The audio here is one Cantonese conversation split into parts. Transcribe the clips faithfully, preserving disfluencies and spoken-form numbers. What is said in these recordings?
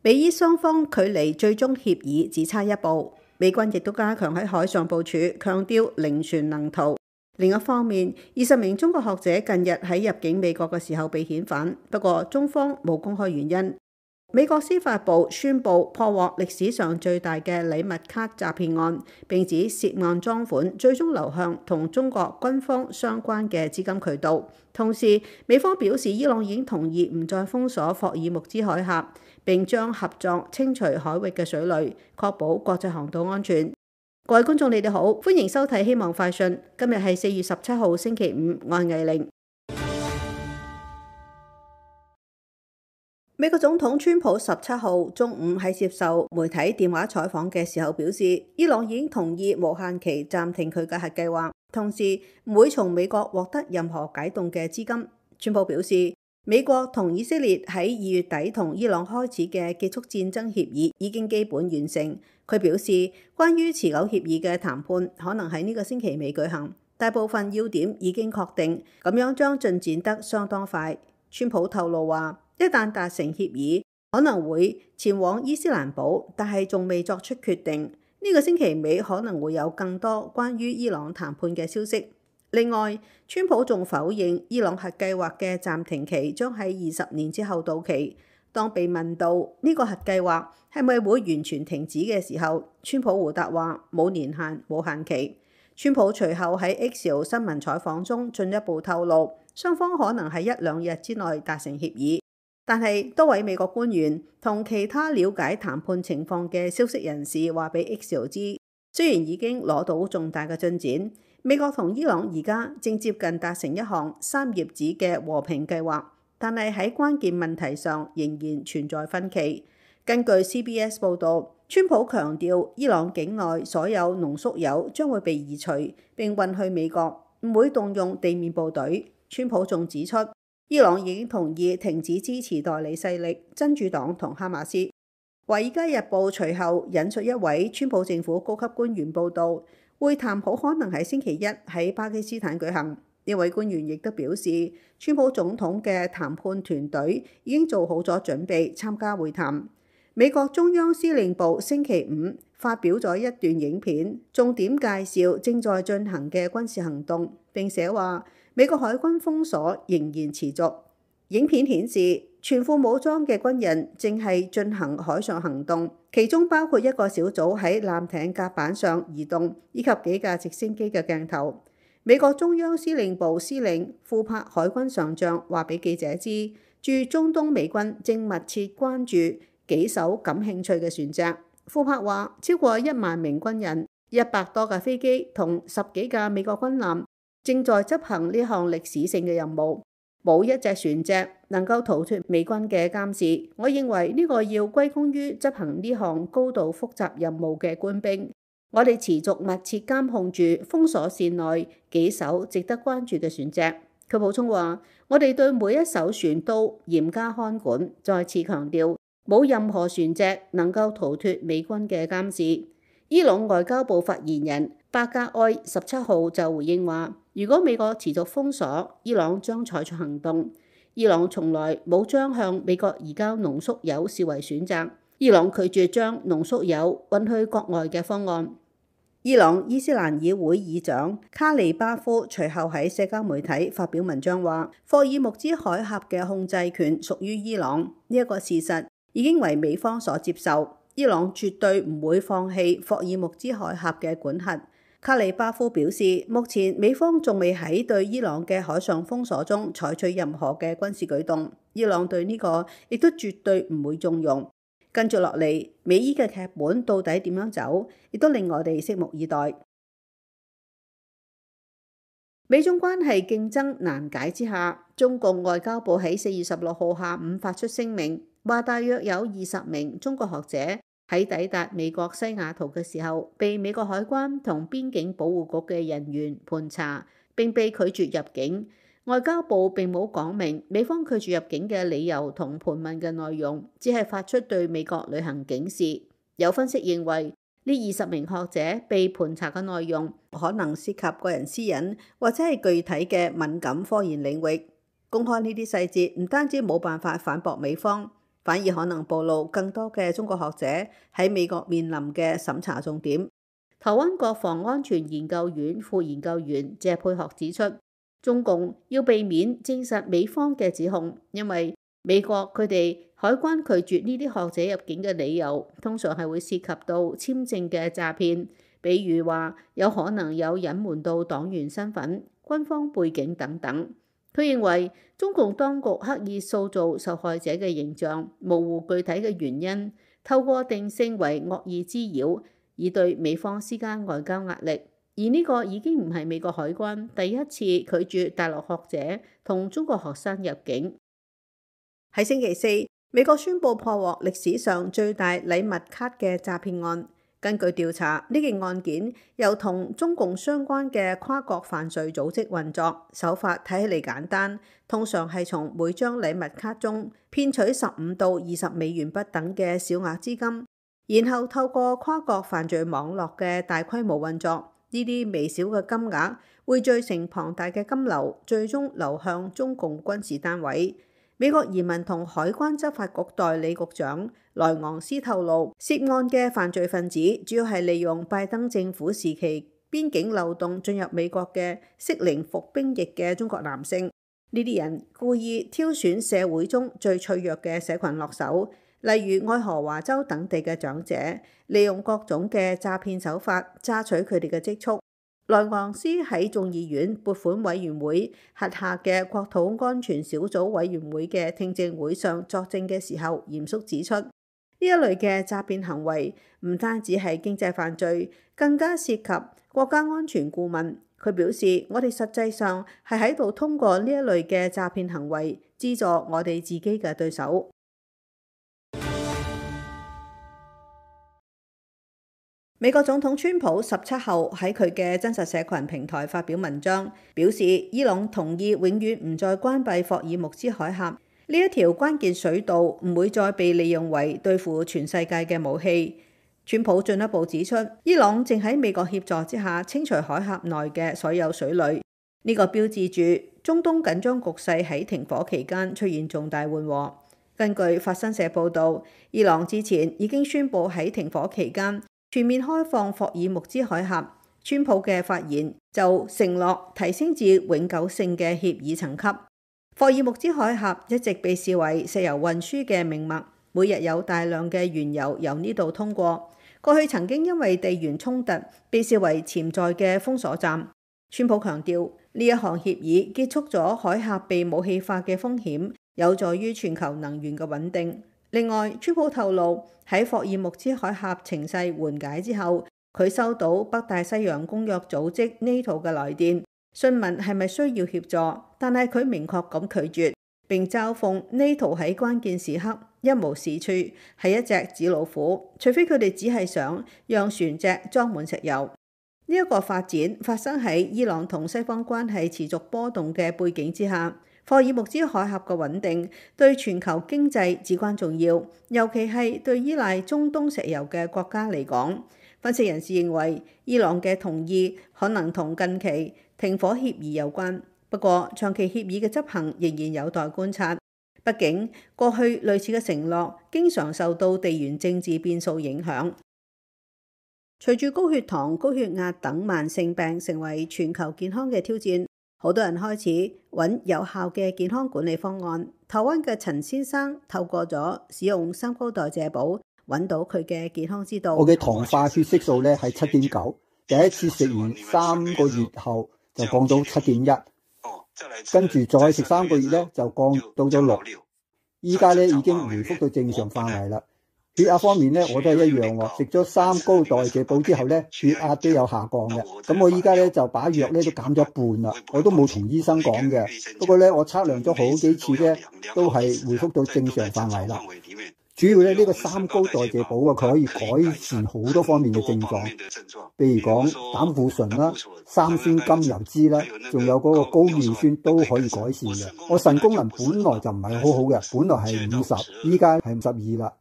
美伊雙方距離最終協議只差一步，美軍亦都加強喺海上部署，強調零船能逃。另一方面，二十名中國學者近日喺入境美國嘅時候被遣返，不過中方冇公開原因。美國司法部宣布破獲歷史上最大嘅禮物卡詐騙案，並指涉案贓款最終流向同中國軍方相關嘅資金渠道。同時，美方表示伊朗已經同意唔再封鎖霍爾木茲海峽，並將合作清除海域嘅水雷，確保國際航道安全。各位觀眾，你哋好，歡迎收睇《希望快訊》。今日係四月十七號星期五，我係藝玲。美國總統川普十七號中午喺接受媒體電話採訪嘅時候表示，伊朗已經同意無限期暫停佢嘅核計劃，同時唔會從美國獲得任何解凍嘅資金。川普表示，美國同以色列喺二月底同伊朗開始嘅結束戰爭協議已經基本完成。佢表示，關於持久協議嘅談判可能喺呢個星期尾舉行，大部分要點已經確定，咁樣將進展得相當快。川普透露話，一旦達成協議，可能會前往伊斯蘭堡，但係仲未作出決定。呢個星期尾可能會有更多關於伊朗談判嘅消息。另外，川普仲否認伊朗核計劃嘅暫停期將喺二十年之後到期。當被問到呢個核計劃係咪會完全停止嘅時候，川普回答話冇年限、冇限期。川普隨後喺 X 新聞採訪中進一步透露，雙方可能喺一兩日之內達成協議。但係多位美國官員同其他了解談判情況嘅消息人士話俾 X 知，雖然已經攞到重大嘅進展，美國同伊朗而家正接近達成一項三頁紙嘅和平計劃，但係喺關鍵問題上仍然存在分歧。根據 C B S 報導，川普強調伊朗境內所有濃縮鈾將會被移除並運去美國，唔會動用地面部隊。川普仲指出，伊朗已經同意停止支持代理勢力真主黨同哈馬斯。華爾街日報隨後引述一位川普政府高級官員報導，會談好可能喺星期一喺巴基斯坦舉行。呢位官員亦都表示，川普總統嘅談判團隊已經做好咗準備參加會談。美國中央司令部星期五發表咗一段影片，重點介紹正在進行嘅軍事行動，並寫話美國海軍封鎖仍然持續。影片顯示，全副武裝嘅軍人正係進行海上行動，其中包括一個小組喺艦艇甲板上移動，以及幾架直升機嘅鏡頭。美國中央司令部司令庫珀海軍上將話俾記者知，駐中東美軍正密切關注幾艘感興趣嘅船隻。庫珀話，超過一萬名軍人、一百多架飛機同十幾架美國軍艦正在執行呢項歷史性嘅任務，冇一隻船隻能夠逃脫美軍嘅監視。我認為呢個要歸功於執行呢項高度複雜任務嘅官兵。我哋持續密切監控住封鎖線內幾艘值得關注嘅船隻。佢補充話，我哋對每一艘船都嚴加看管，再次強調冇任何船隻能夠逃脫美軍嘅監視。伊朗外交部發言人巴加埃十七號就回應話，如果美國持續封鎖，伊朗將採取行動。伊朗從來冇將向美國移交濃縮鈾視為選擇。伊朗拒絕將濃縮鈾運去國外嘅方案。伊朗伊斯蘭議會議長卡利巴夫隨後喺社交媒體發表文章話，霍爾木茲海峽嘅控制權屬於伊朗，呢一個事實已經為美方所接受。伊朗絕對唔會放棄霍爾木茲海峽嘅管轄。卡利巴夫表示，目前美方仲未喺對伊朗嘅海上封鎖中採取任何嘅軍事舉動，伊朗對呢個亦都絕對唔會縱容。跟住落嚟，美伊嘅劇本到底點樣走，亦都令我哋拭目以待。美中關係競爭難解之下，中共外交部喺四月十六號下午發出聲明，話大約有二十名中國學者喺抵達美國西雅圖嘅時候，被美國海關同邊境保護局嘅人員盤查，並被拒絕入境。外交部並冇講明美方拒絕入境嘅理由同盤問嘅內容，只係發出對美國旅行警示。有分析認為，呢二十名學者被盤查嘅內容可能涉及個人私隱或者係具體嘅敏感科研領域。公開呢啲細節唔單止冇辦法反駁美方，反而可能暴露更多嘅中國學者喺美國面臨嘅審查重點。台灣國防安全研究院副研究員謝佩學指出，中共要避免證實美方嘅指控，因為美國佢哋海關拒絕呢啲學者入境嘅理由，通常係會涉及到簽證嘅詐騙，比如話有可能有隱瞞到黨員身份、軍方背景等等。佢認為中共當局刻意塑造受害者嘅形象，模糊具體嘅原因，透過定性為惡意滋擾，以對美方施加外交壓力。而呢個已經唔係美國海關第一次拒絕大陸學者同中國學生入境。喺星期四，美國宣布破獲歷史上最大禮物卡嘅詐騙案。根據調查，呢件案件由同中共相關嘅跨國犯罪組織運作，手法睇起嚟簡單，通常係從每張禮物卡中騙取十五到二十美元不等嘅小額資金，然後透過跨國犯罪網絡嘅大規模運作，呢啲微小嘅金額匯聚成龐大嘅金流，最終流向中共軍事單位。美國移民同海關執法局代理局長萊昂斯透露，涉案嘅犯罪分子主要係利用拜登政府時期邊境漏洞進入美國嘅適齡服兵役嘅中國男性。呢啲人故意挑選社會中最脆弱嘅社群落手，例如愛荷華州等地嘅長者，利用各種嘅詐騙手法榨取佢哋嘅積蓄。萊昂斯喺眾議院撥款委員會轄下嘅國土安全小組委員會嘅聽證會上作證嘅時候，嚴肅指出，呢一類嘅詐騙行為唔單止係經濟犯罪，更加涉及國家安全顧問。佢表示，我哋實際上係喺度通過呢一類嘅詐騙行為資助我哋自己嘅對手。美國總統川普十七號喺佢嘅真實社群平台發表文章，表示伊朗同意永遠唔再關閉霍爾木茲海峽，呢一條關鍵水道唔會再被利用為對付全世界嘅武器。川普進一步指出，伊朗正喺美國協助之下清除海峽內嘅所有水雷，呢個標誌住中東緊張局勢喺停火期間出現重大緩和。根據法新社報導，伊朗之前已經宣布喺停火期間全面開放霍爾木茲海峽。川普嘅發言就承諾提升至永久性嘅協議層級。霍爾木茲海峽一直被視為石油運輸嘅命脈，每日有大量嘅原油由呢度通過。過去曾經因為地緣衝突被視為潛在嘅封鎖站。川普強調，呢一項協議結束咗海峽被武器化嘅風險，有助於全球能源嘅穩定。另外，川普透露喺霍爾木茲海峽情勢緩解之後，佢收到北大西洋公約組織 NATO 嘅來電，詢問係咪需要協助，但係佢明確咁拒絕，並嘲諷 NATO 喺關鍵時刻一無是處，係一隻紙老虎，除非佢哋只係想讓船隻裝滿石油。呢一個發展發生喺伊朗同西方關係持續波動嘅背景之下。霍爾木茲海峽嘅穩定對全球經濟至關重要，尤其係對依賴中東石油嘅國家嚟講。分析人士認為，伊朗嘅同意可能同近期停火協議有關，不過長期協議嘅執行仍然有待觀察。畢竟過去類似嘅承諾經常受到地緣政治變數影響。隨住高血糖、高血壓等慢性病成為全球健康嘅挑戰，好多人開始揾有效嘅健康管理方案。台灣嘅陳先生透過咗使用三高代謝寶，揾到佢嘅健康之道。我嘅糖化血色素咧係七點九，第一次食完三個月後就降到七點一，跟住再食三個月咧就降到咗六，依家咧已經回復到正常範圍啦。血壓方面咧，我都係一樣喎。食咗三高代謝寶之後咧，血壓都有下降嘅。咁我依家咧就把藥咧都減咗一半啦。我都冇同醫生講嘅，不過咧我測量咗好幾次咧，都係回復到正常範圍啦。主要咧呢個三高代謝寶啊，佢可以改善好多方面嘅症狀，譬如講膽固醇啦、三酸甘油脂啦，仲有嗰個高尿酸都可以改善嘅。我腎功能本來就唔係好好嘅，本來係五十，依家係五十二啦。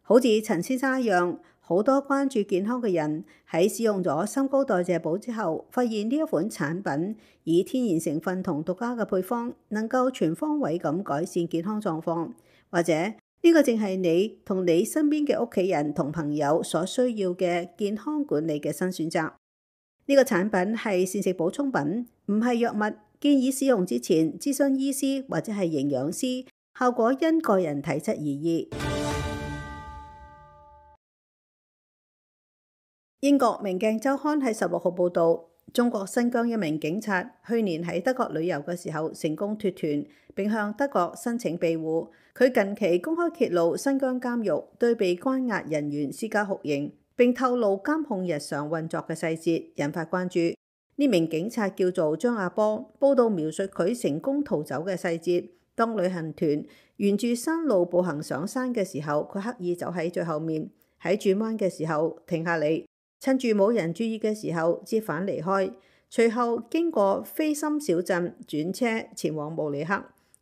好似陳先生一樣，好多關注健康嘅人喺使用咗三高代謝寶之後，發現呢一款產品以天然成分同獨家嘅配方，能夠全方位咁改善健康狀況，或者呢個正係你同你身邊嘅屋企人同朋友所需要嘅健康管理嘅新選擇。呢個產品係膳食補充品，唔係藥物，建議使用之前諮詢醫師或者係營養師，效果因個人體質而異。英國明鏡週刊喺十六號報導，中國新疆一名警察去年喺德國旅遊嘅時候成功脫團，並向德國申請庇護。佢近期公開揭露新疆監獄對被關押人員施加酷刑，並透露監控日常運作嘅細節，引發關注。呢名警察叫做張亞波，報道描述佢成功逃走嘅細節。當旅行團沿住山路步行上山嘅時候，佢刻意走喺最後面，喺轉彎嘅時候停下嚟，趁住冇人注意嘅時候折返離開。隨後經過菲森小鎮轉車前往慕尼黑。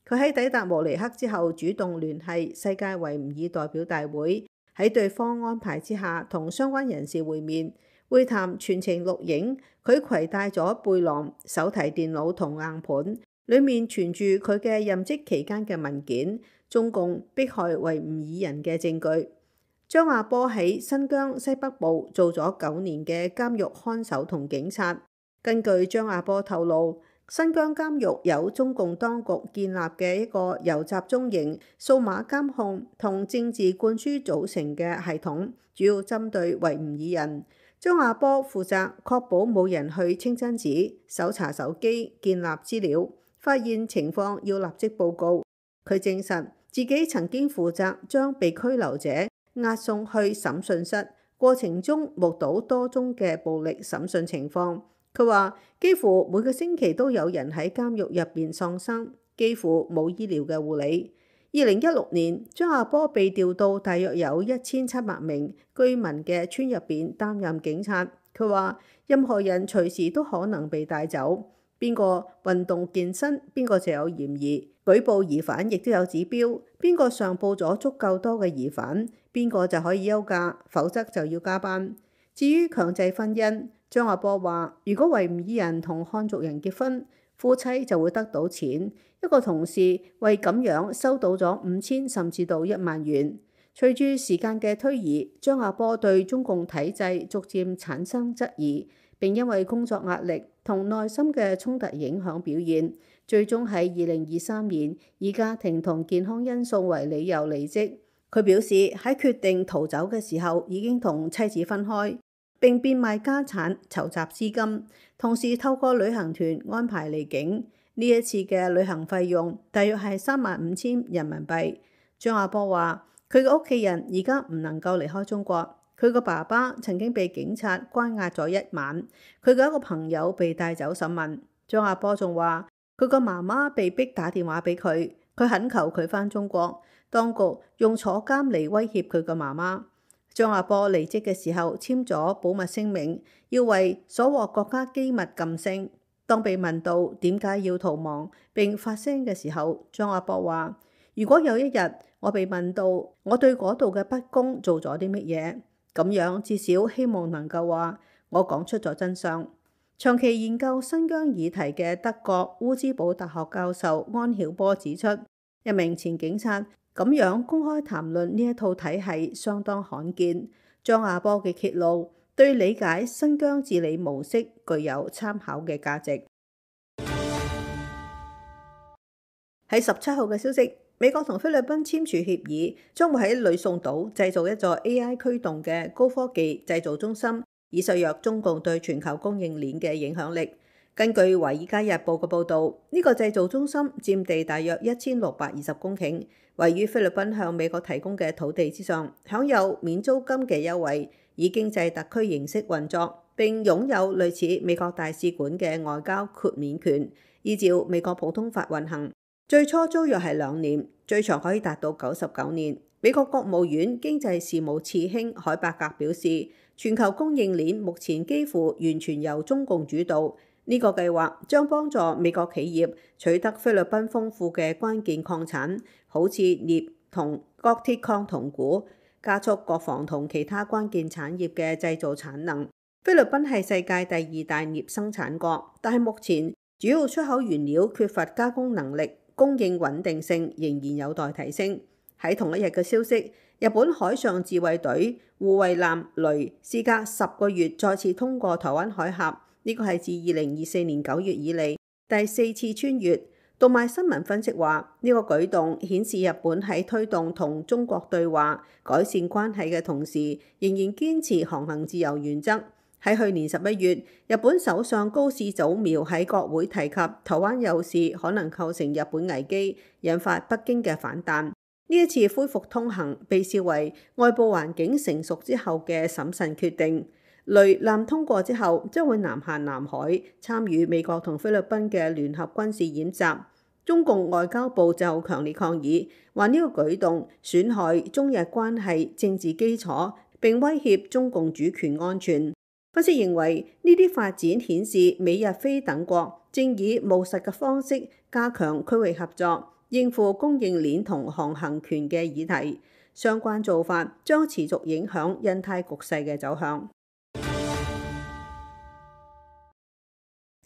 佢喺抵達慕尼黑之後主動聯繫世界維吾爾代表大會，喺對方安排之下同相關人士會面。會談全程錄影，佢攜帶咗背囊、手提電腦同硬盤，裡面存住佢嘅任職期間嘅文件、中共迫害維吾爾人嘅證據。張亞波喺新疆西北部做咗九年嘅監獄看守同警察。根據張亞波透露，新疆監獄有中共當局建立嘅一個由集中營、數碼監控同政治灌輸組成嘅系統，主要針對維吾爾人。張亞波負責確保冇人去清真寺、搜查手機、建立資料，發現情況要立即報告。佢證實自己曾經負責將被拘留者押送去審訊室，過程中目睹多宗嘅暴力審訊情況。佢話幾乎每個星期都有人喺監獄入邊喪生，幾乎冇醫療嘅護理。二零一六年，張亞波被調到大約有一千七百名居民嘅村入邊擔任警察。佢話任何人隨時都可能被帶走，邊個運動健身，邊個就有嫌疑。舉報疑犯亦都有指標，邊個上報咗足夠多嘅疑犯，邊個就可以休假，否則就要加班。至於強制婚姻，張亞波話如果維吾爾人同漢族人結婚，夫妻就會得到錢。一個同事為咁樣收到咗五千甚至到一萬元。隨住時間嘅推移，張亞波對中共體制逐漸產生質疑，並因為工作壓力同內心嘅衝突影響表現，最終喺二零二三年以家庭同健康因素為理由離職。佢表示喺決定逃走嘅時候已經同妻子分開，並變賣家產籌集資金，同時透過旅行團安排離境。呢一次嘅旅行費用大約係三萬五千人民幣。張亞波話佢嘅屋企人而家唔能夠離開中國，佢個爸爸曾經被警察關押咗一晚，佢嘅一個朋友被帶走審問。張亞波仲話佢個媽媽被逼打電話俾佢，佢懇求佢返中國，當局用坐監嚟威脅佢個媽媽。張亞波離職嘅時候簽咗保密聲明，要為所獲國家機密噤聲。當被問到點解要逃亡並發聲嘅時候，張亞波話：如果有一日我被問到我對嗰度嘅不公做咗啲乜嘢，咁樣至少希望能夠話我講出咗真相。長期研究新疆議題嘅德國烏茲堡大學教授安曉波指出，一名前警察咁樣公開談論呢一套體系相當罕見。張亞波嘅揭露對理解新疆治理模式具有參考嘅價值。喺十七號嘅消息，美國同菲律賓簽署協議，將會喺呂宋島製造一座 A I 驅動嘅高科技製造中心，以削弱中共對全球供應鏈嘅影響力。根據《華爾街日報》嘅報導，呢個製造中心佔地大約一千六百二十公頃，位於菲律賓向美國提供嘅土地之上，享有免租金嘅優惠，以經濟特區形式運作，並擁有類似美國大使館嘅外交豁免權，依照美國普通法運行。最初租約係兩年，最長可以達到九十九年。美國國務院經濟事務次卿海伯格表示，全球供應鏈目前幾乎完全由中共主導。呢個計劃將幫助美國企業取得菲律賓豐富嘅關鍵礦產，好似鎳同鋼鐵礦同鈷，加速國防同其他關鍵產業嘅製造產能。菲律賓係世界第二大鎳生產國，但係目前主要出口原料缺乏加工能力，供應穩定性仍然有待提升。喺同一日嘅消息，日本海上自衛隊護衛艦雷事隔十個月再次通過台灣海峽，呢個係自二零二四年九月以嚟第四次穿越。讀賣新聞分析話，呢個舉動顯示日本喺推動同中國對話、改善關係嘅同時，仍然堅持航行自由原則。喺去年十一月，日本首相高市早苗喺國會提及台灣有事可能構成日本危機，引發北京嘅反彈。呢一次恢復通行被視為外部環境成熟之後嘅審慎決定。雷艦通過之後，將會南下南海參與美國同菲律賓嘅聯合軍事演習。中共外交部就強烈抗議，話呢個舉動損害中日關係政治基礎，並威脅中共主權安全。分析認為，呢啲發展顯示美日菲等國正以務實嘅方式加強區域合作，應付供應鏈同航行權嘅議題。相關做法將持續影響印太局勢嘅走向。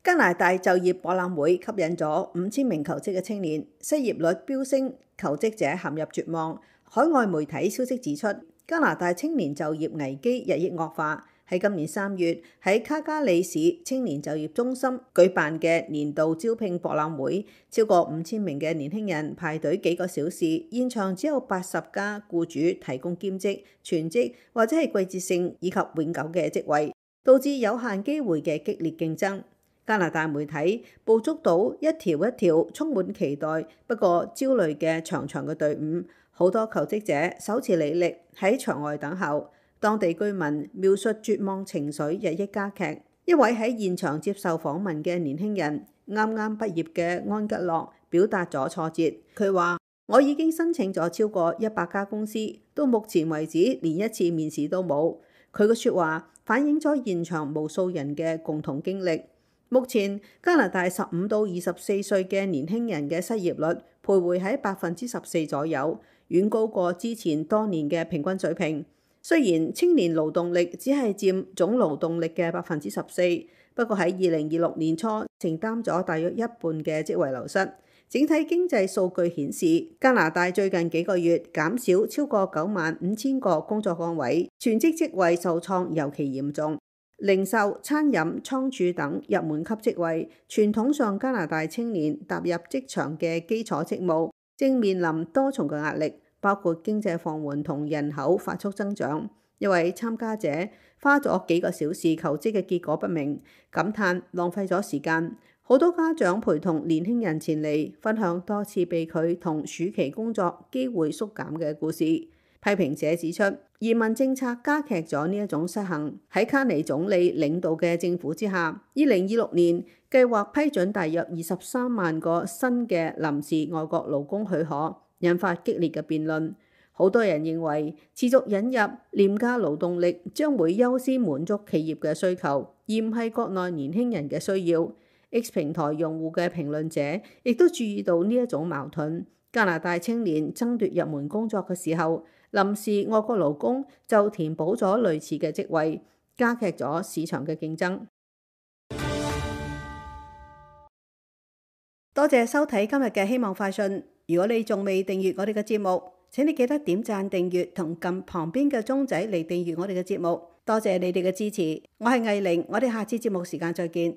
加拿大就業博覽會吸引咗五千名求職嘅青年，失業率飆升，求職者陷入絕望。海外媒體消息指出，加拿大青年就業危機日益惡化。喺今年三月，喺卡加里市青年就業中心舉辦嘅年度招聘博覽會，超過五千名嘅年輕人排隊幾個小時，現場只有八十家僱主提供兼職、全職或者係季節性以及永久嘅職位，導致有限機會嘅激烈競爭。加拿大媒體捕捉到一條一條充滿期待不過焦慮嘅長長嘅隊伍，好多求職者手持履歷喺場外等候。當地居民描述絕望情緒日益加劇。一位喺現場接受訪問嘅年輕人，啱啱畢業嘅安吉洛表達咗挫折。佢話：我已經申請咗超過一百家公司，到目前為止連一次面試都冇。佢嘅説話反映咗現場無數人嘅共同經歷。目前加拿大十五到二十四歲嘅年輕人嘅失業率徘徊喺百分之十四左右，遠高過之前多年嘅平均水平。雖然青年勞動力只係佔總勞動力嘅百分之十四，不過喺二零二六年初承擔咗大約一半嘅職位流失。整體經濟數據顯示，加拿大最近幾個月減少超過九萬五千個工作崗位，全職職位受創尤其嚴重。零售、餐飲、倉儲等入門級職位，傳統上加拿大青年踏入職場嘅基礎職務，正面臨多重嘅壓力。包括經濟放緩同人口發速增長。一位參加者花咗幾個小時求職嘅結果不明，感嘆浪費咗時間。好多家長陪同年輕人前嚟分享多次被拒同暑期工作機會縮減嘅故事。批評者指出，移民政策加劇咗呢一種失衡。喺卡尼總理領導嘅政府之下，二零二六年計劃批准大約二十三萬個新嘅臨時外國勞工許可，引發激烈嘅辯論。好多人認為持續引入廉價勞動力將會優先滿足企業嘅需求，而唔係國內年輕人嘅需要。X 平台用戶嘅評論者亦都注意到呢一種矛盾。加拿大青年爭奪入門工作嘅時候，臨時外國勞工就填補咗類似嘅職位，加劇咗市場嘅競爭。多謝收睇今日嘅希望快訊。如果你仲未訂閱我哋嘅節目，請你記得點讚訂閱同撳旁邊嘅鐘仔嚟訂閱我哋嘅節目。多謝你哋嘅支持，我係藝玲，我哋下次節目時間再見。